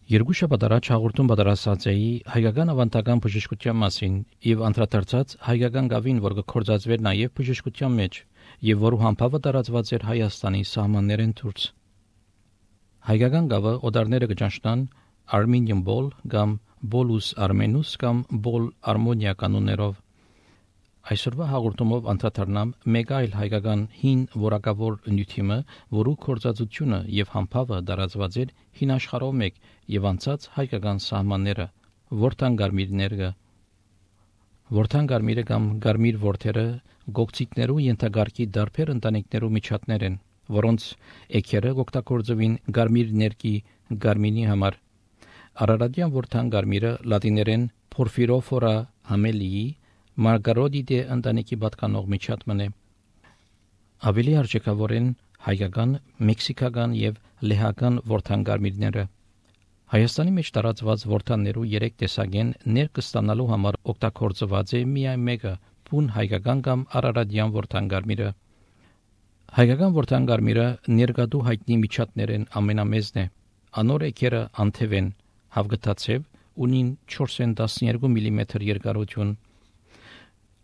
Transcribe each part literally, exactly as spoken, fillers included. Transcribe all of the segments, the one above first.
Երկու շաբաթ առաջ հաղորդում պատրաստած էի հայկական ավանդական բժշկության մասին եւ անդրադարձած հայկական գավին, որ կգործածվեր նաեւ բժշկության մեջ եւ որու համբավը տարածված էր Հայաստանի սահմաններեն դուրս։ Հայկական գավը օտարները կճանչնան Armenian Ball կամ Bolus Armenus կամ Ball Armonia կանոններով։ Այսօրվա հաղորդումով անդրադառնամ մեկ այլ հայկական հին որակավոր նյութիմը, որու կորցածությունը եւ համբավը տարածված էր հին աշխարհով մեկ եւ անցած հայկական սահմանները, որթան գարմիրները։ Որթան գարմիրը կամ գարմիր ворթերը գողցիկներու ենթագարկի դարբեր ընտանիքներու միջատներ են, որոնց էքերը օգտագործվին գարմիր ներկի գարմինի համար։ Արարատյան որթան գարմիրը լատիներեն Porphyrophora hamelii Մարգարոդիդե ընտանիքի պատկանող միջատմն է։ Ավելի արժեքավոր են հայկական, մեքսիկական եւ լեհական ворթանգարմիրները։ Հայաստանի մեջ տարածված ворթաններու երեք տեսակ են, ներք ստանալու համար օգտագործված է միայն մեկը՝ բուն հայկական կամ արարատյան ворթանգարմիրը։ Հայկական ворթանգարմիրը ներկատու հայտնի միջատներեն ամենամեծն է։ Անոր էքերը անթև են, հավգտացև, ունին չորսն տասներկու միլիմետր երկարություն։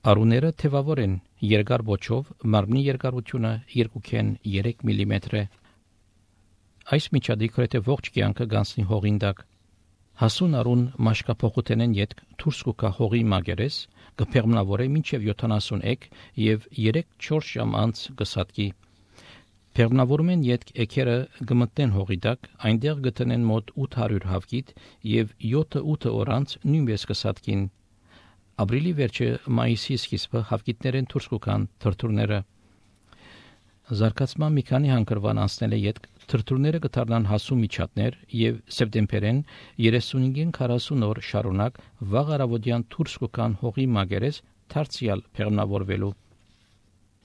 Արուները թևավոր են, երկար ոճով, մարմնի երկարությունը երկուքեն երեք միլիմետր է։ Այս միջադի գրեթե ողջ կյանքը գանցնի հողին տակ։ Հասուն արուն մաշկափոխութենեն յետք դուրս կուկա հողի մագերես, կփեղմնավորե մինչև յոթանասուն էք եւ երեք-չորս ժամ անց կսատկի։ Փեղմնավորումեն յետք էքերը կմտնեն հողի տակ, այնտեղ գտնեն մոտ ութ հարյուր հավկիտ եւ յոթ-ութ օր անց նույնպես կսատկին։ Ապրիլի վերջը մայիսի սկիզբը հավկիտներեն դուրս կգան թրթուրները։ Զարգացման մի քանի հանգրվան անցնել է յետք թրթուրները կդառնան հասու միջատներ եւ սեպտեմբերեն երեսունհինգ քառասուն օր շարունակ վաղ առավոտյան դուրս կգան հողի մագերես դարձյալ փեղմնավորվելու։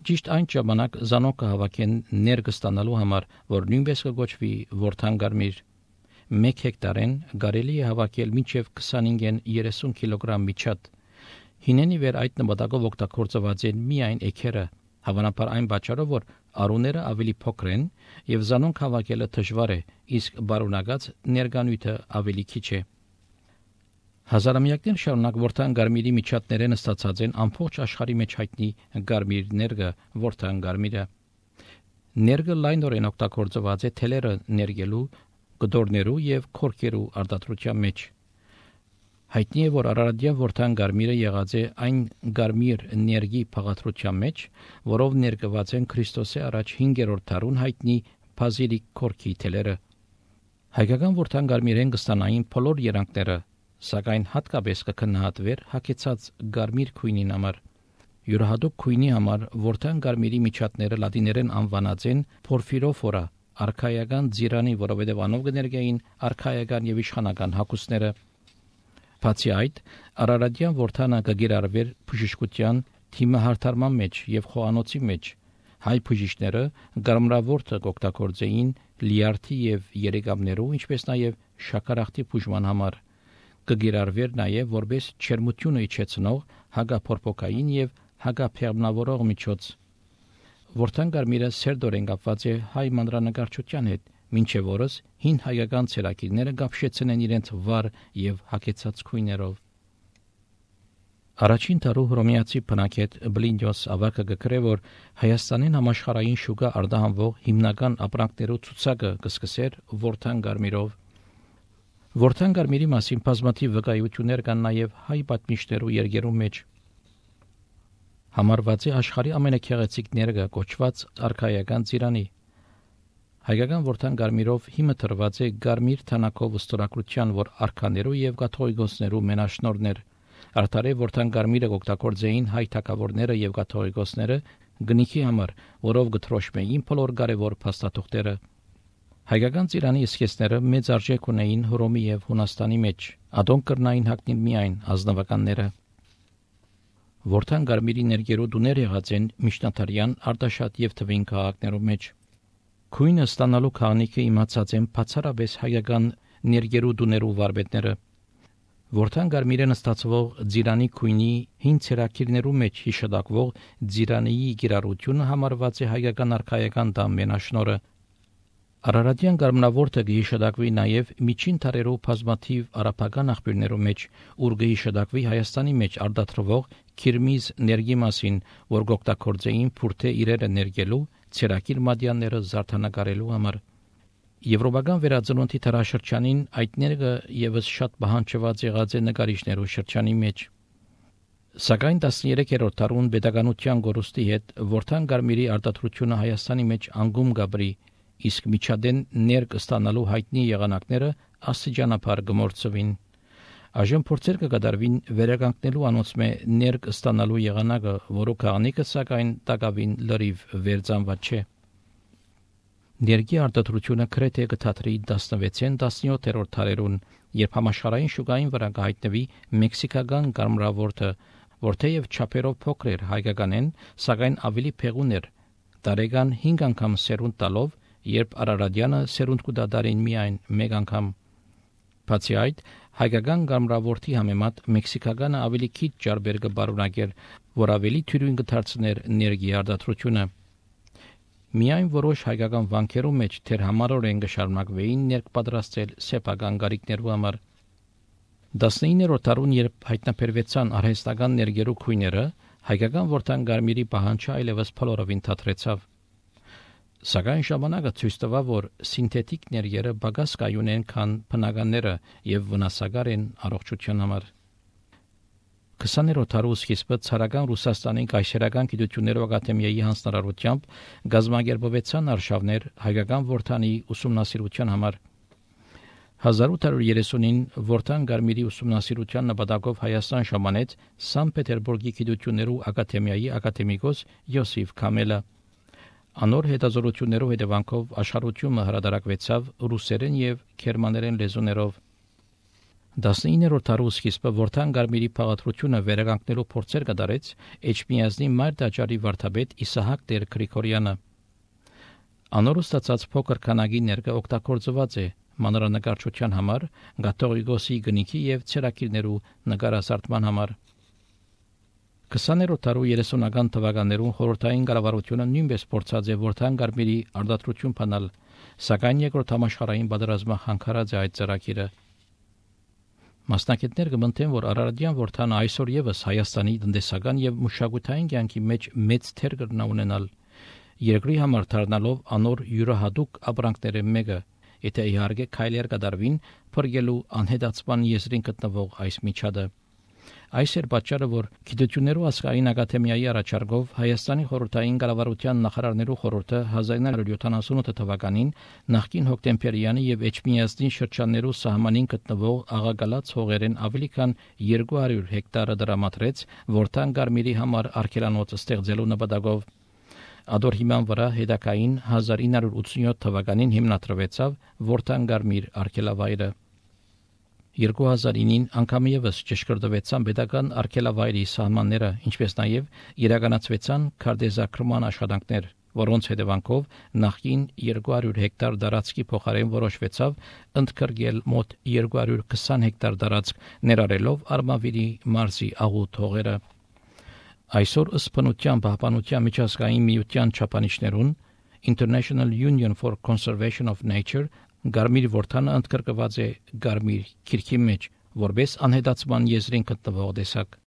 Ճիշտ այն ժամանակ զանոկը հավաքեն ներկստանալու համար, որ նույնպես կգոչվի ворթանգարմիր։ մեկ հեկտարեն կարելի է հավաքել մինչև քսանհինգ երեսուն կիլոգրամ միջատ։ Հինենի վեր այդ նպատակով օգտագործված են միայն էքերը, հավանաբար այն պատճառով, որ արուները ավելի փոքր են եւ զանոնք հավաքելը դժվար է, իսկ բարունակած ներկանյութը ավելի քիչ է։ Հազարամյակներ շարունակ ворթան գարմիրի միջատներեն ստացած են ամբողջ աշխարհի մեջ հայտնի գարմիր ներգը, ворթան գարմիրը։ Ներգը լայնորեն օգտագործված է թելերը ներգելու, գդորներու եւ քորքերու արտադրության մեջ։ Հայտնի է, որ արարատյան ворթան գարմիրը եղած է այն գարմիր ներգի փաղադրության մեջ, որով ներկված են Քրիստոսի առաջ հինգերորդ դարուն հայտնի բազիլիկ քորքի թելերը։ Հայկական ворթան գարմիրեն կստանային բոլոր երանգները, սակայն հատկապես կքննադվեր հագեցած գարմիր քույնին համար։ Յուրահատուկ քույնի համար ворթան գարմիրի միջատները լատիներեն անվանած են Porphyrophora, արքայական ձիրանի, որովհետև անով կներկային արքայական եւ իշխանական հագուստները։ Բացի այդ, արարատյան ворթանը կգիրառվեր բժշկության թիմահարթարման մեջ եւ խոհանոցի մեջ։ Հայ բժիշկները գարմրավորտը կօգտագործեին լիարդի եւ երեգամներու, ինչպես նաեւ շաքարախտի բուժման համար։ Կգիրառվեր նաեւ որպես չերմությունը իջեցնող հագափորփոքային եւ հագափեղմնավորող միջոց։ Ворթան գարմիրը սերտորեն կապված է հայ մանրանկարչության հետ, մինչև օրս հին հայկական ցերակիրները գապշեցեն են իրենց վառ եւ հագեցած քույներով։ Առաջին տարու հռոմեացի բնակետ Բլինյոս ավակը գկրե, որ Հայաստանին համաշխարհային շուկա արտահանվող հիմնական ապրանքներու ցուցակը կսկսեր ворթան գարմիրով։ Ворթան գարմիրի մասին բազմաթիվ վկայություններ կան նաեւ հայ պատմիչներու երգերու մեջ։ Համարված է աշխարհի ամենաքեղեցիկ ներգը կոչված արքայական ծիրանի։ Հայկական ворթան գարմիրով հիմը տրված է գարմիր թանակով ստորագրության, որ արքաներու եւ կաթողիկոսներու մենաշնորհներ։ Արդարե ворթան գարմիրը օգտագործեին հայ թագավորները եւ կաթողիկոսները գնիքի համար, որով գտրոշմեին բոլոր կարևոր փաստաթուղթերը։ Հայկական ծիրանի իսկեսները մեծ արժեք ունեին Հռոմի եւ Հունաստանի մեջ, ադոնք կրնային հագնել միայն ազնվականները։ Ворթան գարմիրի ներկերու դուներ եղած են միջնադարյան Արտաշատ եւ Թվին քաղաքներու մեջ։ Քույնը ստանալու քանիքը իմացած են բացառապես հայկական ներկերու դուներու վարպետները։ Ворթան գարմիրեն ստացվող ձիրանի քույնի հին ցերակիրներու մեջ հիշատակվող ձիրանիի գիրառությունը համարված է հայկական արքայական դամ մենաշնորը։ Արարատյան գարմնավորտը գիհիշադակվի նաև միջին թարերով բազմաթիվ արաբական աղբյուրներով մեջ, ուր գիհիշադակվի Հայաստանի մեջ արդատրվող քիրմիզ ներգի մասին, որ գօգտագործեին փուրթե իրերը ներգելու, ցերակիր մադյանները զարդանկարելու համար։ Եվրոպական վերածնունդի թարաշրջանին այդ ներգը եւս շատ բանջված եղած է նկարիչներու շրջանի մեջ։ Սակայն տասներեքերորդ դարուն pedagogian գորուստի հետ Որթան Գարմիրի արտադրությունը Հայաստանի մեջ անգում գաբրի, իսկ միջադեն ներգ ստանալու հայտնի եղանակները աստիճանաբար գմորցվին։ Այժմ փորձեր կկատարվին վերականգնելու անոնցմե ներգ ստանալու եղանակը, որը քանիկը սակայն տակավին լրիվ վերցանված չէ։ Ներգի արտադրությունը գրեթե կթատրի տասնվեցին տասնյոթերորդ դարերուն, երբ համաշխարհային շուկային վրա կհայտնվի մեքսիկական գարմրավորտը, որ թեև չափերով փոքր էր հայկականեն, սակայն ավելի փեղուն էր, տարեկան հինգ անգամ սերունդ տալով, երբ Արարատյանը սերունդ կդադարին միայն մեկ անգամ։ Բացի այդ, հայկական գարմրավորտի համեմատ մեքսիկականը ավելի քիչ ջարբեր կբարունակեր, որ ավելի թյուրին կդարձներ ներգի արտադրությունը։ Միայն որոշ հայկական վանքերու մեջ թեր համարորեն կշարունակվեին ներգ պատրաստել սեփական գարիկներու համար։ տասնիններորդ դարուն, երբ հայտնաբերվեցան արհեստական ներգերու քույները, հայկական Որթան Գարմիրի պահանջը այլևս փլորովին թատրեցավ։ Սակայն ժամանակը ցույց տվավ, որ սինթետիկ ներգերը բագաս կայուն են, քան բնականները եւ վնասակար են առողջության համար։ քսաներորդ դարու սկիզբը ցարական Ռուսաստանի կայսերական գիտություններով ակադեմիայի հանձնարարությամբ գազագերբվեցան արշավներ հայկական Որթանի ուսումնասիրության համար։ հազար ութ հարյուր երեսունին Որթան Գարմիրի ուսումնասիրության նպատակով Հայաստան ժամանեց Սանտ Պետերբուրգի գիտություններու ակադեմիայի ակադեմիկոս Յոսիֆ Քամելը։ Անոր հետազոտություններով հետևանքով աշխարհությունը հրատարակվեցավ ռուսերեն եւ գերմաներեն լեզուներով։ տասնիններորդ դարու սկիզբը Որթան Գարմիրի փաղադրությունը վերականգնելու փորձեր կատարեց Էջմիածնի մայր տաճարի վարդապետ Իսահակ Տեր Գրիգորյանը։ Անոր ստացած փոքր քանակի ներկը օգտագործված է մանրանկարչության համար, Կաթողիկոսի գնիքի եւ ցերակիրներու նկարազարդման համար։ քսաներորդ դարու երեսունական թվականներուն խորհրդային կառավարությունը նույնպես փորձած է Որթան Գարմիրի արտադրություն փանալ, սակայն երկրորդ համաշխարհային պատերազմը խանգարած է այդ ծրագիրը։ Մասնակիցներ կմտեն, որ Արարատյան Որթանը այսօր եւս Հայաստանի տնտեսական եւ մշակութային կյանքի մեջ մեծ թեր կրնա ունենալ, երկրի համար դառնալով անոր յուրահատուկ ապրանքները մեկը, եթե իհարկե քայլեր կդարվին փրկելու անհետացման եզրին գտնվող այս միջադը։ Այս էր պատճառը, որ Գիտություններու ազգային ակադեմիայի առաջարկով Հայաստանի խորհրդային կառավարության նախարարներու խորհուրդը հազար ինը հարյուր յոթանասունութ թվականին նախկին Հոկտեմբերյանի եւ Էջմիածնի շրջաններու սահմանին գտնվող աղագալած հողերեն ավելի քան երկու հարյուր հեկտարը դրամատրեց Որթան Գարմիրի համար արգելանոց ստեղծելու նպատակով։ Ադոր հիման վրա հետակային հազար ինը հարյուր ութսունյոթ թվականին հիմնադրվեցավ Որթան Գարմիր արգելավայրը։ երկու հազար ինին անգամ եւս ճշգրտվեցան պետական արգելավայրի սահմանները, ինչպես նաեւ իրականացվեցան քարտեզագրման աշխատանքներ, որոնց հետևանքով նախկին երկու հարյուր հեկտար տարածքի փոխարեն որոշվեցավ ընդգրկել մոտ երկու հարյուր քսան հեկտար տարածք, ներառելով Արմավիրի մարզի աղոտ հողերը։ Այսօր ըստ բնության պահպանության միջազգային միության չափանիշներուն International Union for Conservation of Nature Գարմիր Որթանը ընդգրկված է Գարմիր քիրքի մեջ, որպես անհետացման եզրին գտնվող տեսակ։